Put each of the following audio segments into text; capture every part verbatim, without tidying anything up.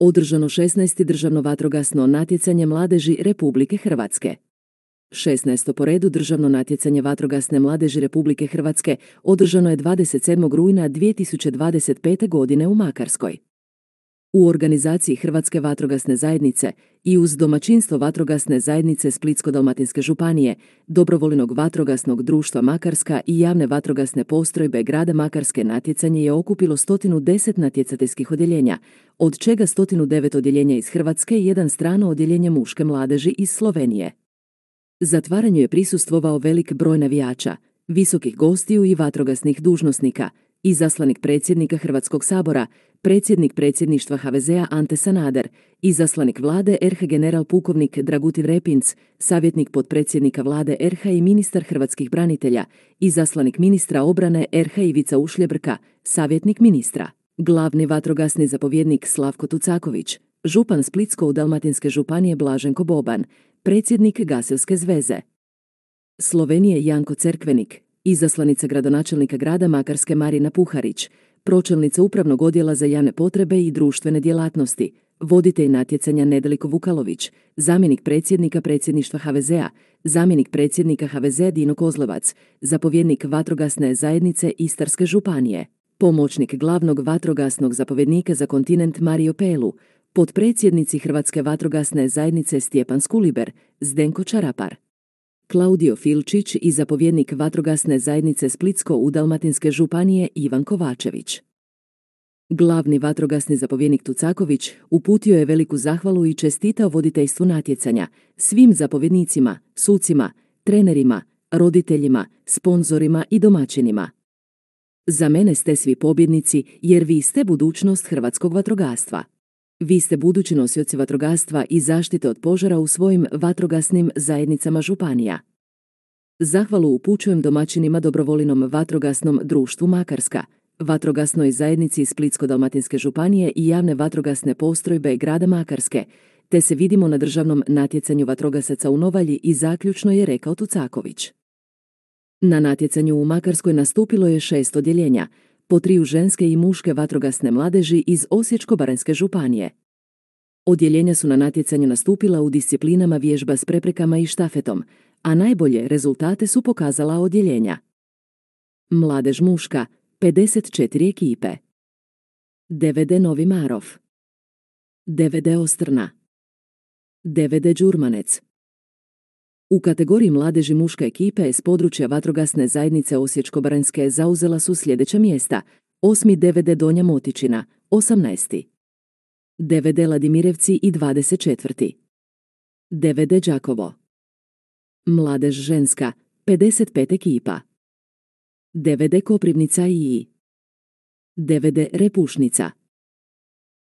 Održano šesnaesto državno vatrogasno natjecanje mladeži Republike Hrvatske. šesnaesto po redu državno natjecanje vatrogasne mladeži Republike Hrvatske održano je dvadeset sedmog rujna dvije tisuće dvadeset pete. godine u Makarskoj. U organizaciji Hrvatske vatrogasne zajednice i uz domaćinstvo Vatrogasne zajednice Splitsko-dalmatinske županije, Dobrovoljnog vatrogasnog društva Makarska i javne vatrogasne postrojbe grada Makarske natjecanje je okupilo sto deset natjecateljskih odjeljenja, od čega sto devet odjeljenja iz Hrvatske i jedan strano odjeljenje muške mladeži iz Slovenije. Zatvaranju je prisustvovao velik broj navijača, visokih gostiju i vatrogasnih dužnosnika, izaslanik predsjednika Hrvatskog sabora, predsjednik predsjedništva H V Z-a Ante Sanader, izaslanik vlade R H general pukovnik Dragutin Repinc, savjetnik potpredsjednika vlade R H i ministar hrvatskih branitelja, izaslanik ministra obrane R H Ivica Ušljebrka, savjetnik ministra, glavni vatrogasni zapovjednik Slavko Tucaković, župan Splitsko-dalmatinske županije Blaženko Boban, predsjednik Gasilske zveze Slovenije Janko Cerkvenik, izaslanica gradonačelnika grada Makarske Marina Puharić, pročelnica Upravnog odjela za javne potrebe i društvene djelatnosti, voditelj natjecanja Nedeljko Vukalović, zamjenik predsjednika predsjedništva H V Z-a, zamjenik predsjednika H V Z Dino Kozlevac, zapovjednik Vatrogasne zajednice Istarske županije, pomoćnik glavnog vatrogasnog zapovjednika za kontinent Mario Pelu, potpredsjednici Hrvatske vatrogasne zajednice Stjepan Skuliber, Zdenko Čarapar, Klaudio Filčić i zapovjednik Vatrogasne zajednice Splitsko-dalmatinske županije Ivan Kovačević. Glavni vatrogasni zapovjednik Tucaković uputio je veliku zahvalu i čestitao voditeljstvu natjecanja, svim zapovjednicima, sucima, trenerima, roditeljima, sponzorima i domaćinima. Za mene ste svi pobjednici jer vi ste budućnost hrvatskog vatrogastva. Vi ste budući nosioci vatrogastva i zaštite od požara u svojim vatrogasnim zajednicama županija. Zahvalu upućujem domaćinima Dobrovoljnom vatrogasnom društvu Makarska, Vatrogasnoj zajednici Splitsko-dalmatinske županije i javne vatrogasne postrojbe grada Makarske, te se vidimo na državnom natjecanju vatrogasaca u Novalji i zaključno je rekao Tucaković. Na natjecanju u Makarskoj nastupilo je šest odjeljenja, po triju ženske i muške vatrogasne mladeži iz Osječko-baranjske županije. Odjeljenja su na natjecanju nastupila u disciplinama vježba s preprekama i štafetom, a najbolje rezultate su pokazala odjeljenja. Mladež muška, pedeset četiri ekipe. D V D Novi Marof, D V D Ostrna, D V D Đurmanec. U kategoriji mladeži muške ekipe s područja Vatrogasne zajednice Osječko-baranjske zauzela su sljedeća mjesta: osmi D V D Donja Motičina, osamnaesti D V D Ladimirevci i dvadeset četvrti D V D Đakovo. Mladež ženska, pedeset pet ekipa. D V D Koprivnica i D V D Repušnica,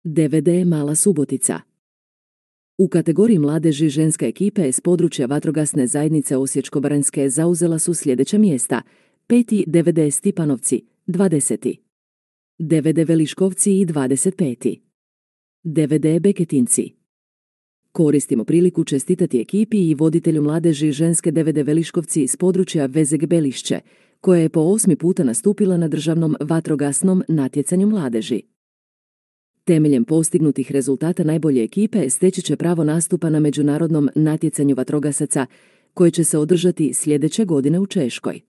D V D Mala Subotica. U kategoriji mladeži ženska ekipe s područja Vatrogasne zajednice Osječko-baranjske zauzela su sljedeća mjesta: peti D V D Stipanovci, dvadeseti D V D Veliškovci i dvadeset peti D V D Beketinci. Koristimo priliku čestitati ekipi i voditelju mladeži ženske D V D Veliškovci s područja Vezeg Belišće, koja je po osmi puta nastupila na državnom vatrogasnom natjecanju mladeži. Temeljem postignutih rezultata najbolje ekipe steći će pravo nastupa na međunarodnom natjecanju vatrogasaca koje će se održati sljedeće godine u Češkoj.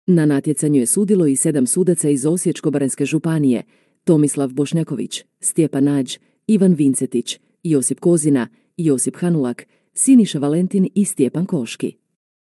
Na natjecanju je sudilo i sedam sudaca iz Osječko-baranjske županije: Tomislav Bošnjaković, Stjepan Nađ, Ivan Vincetić, Josip Kozina, Josip Hanulak, Siniša Valentin i Stjepan Koški.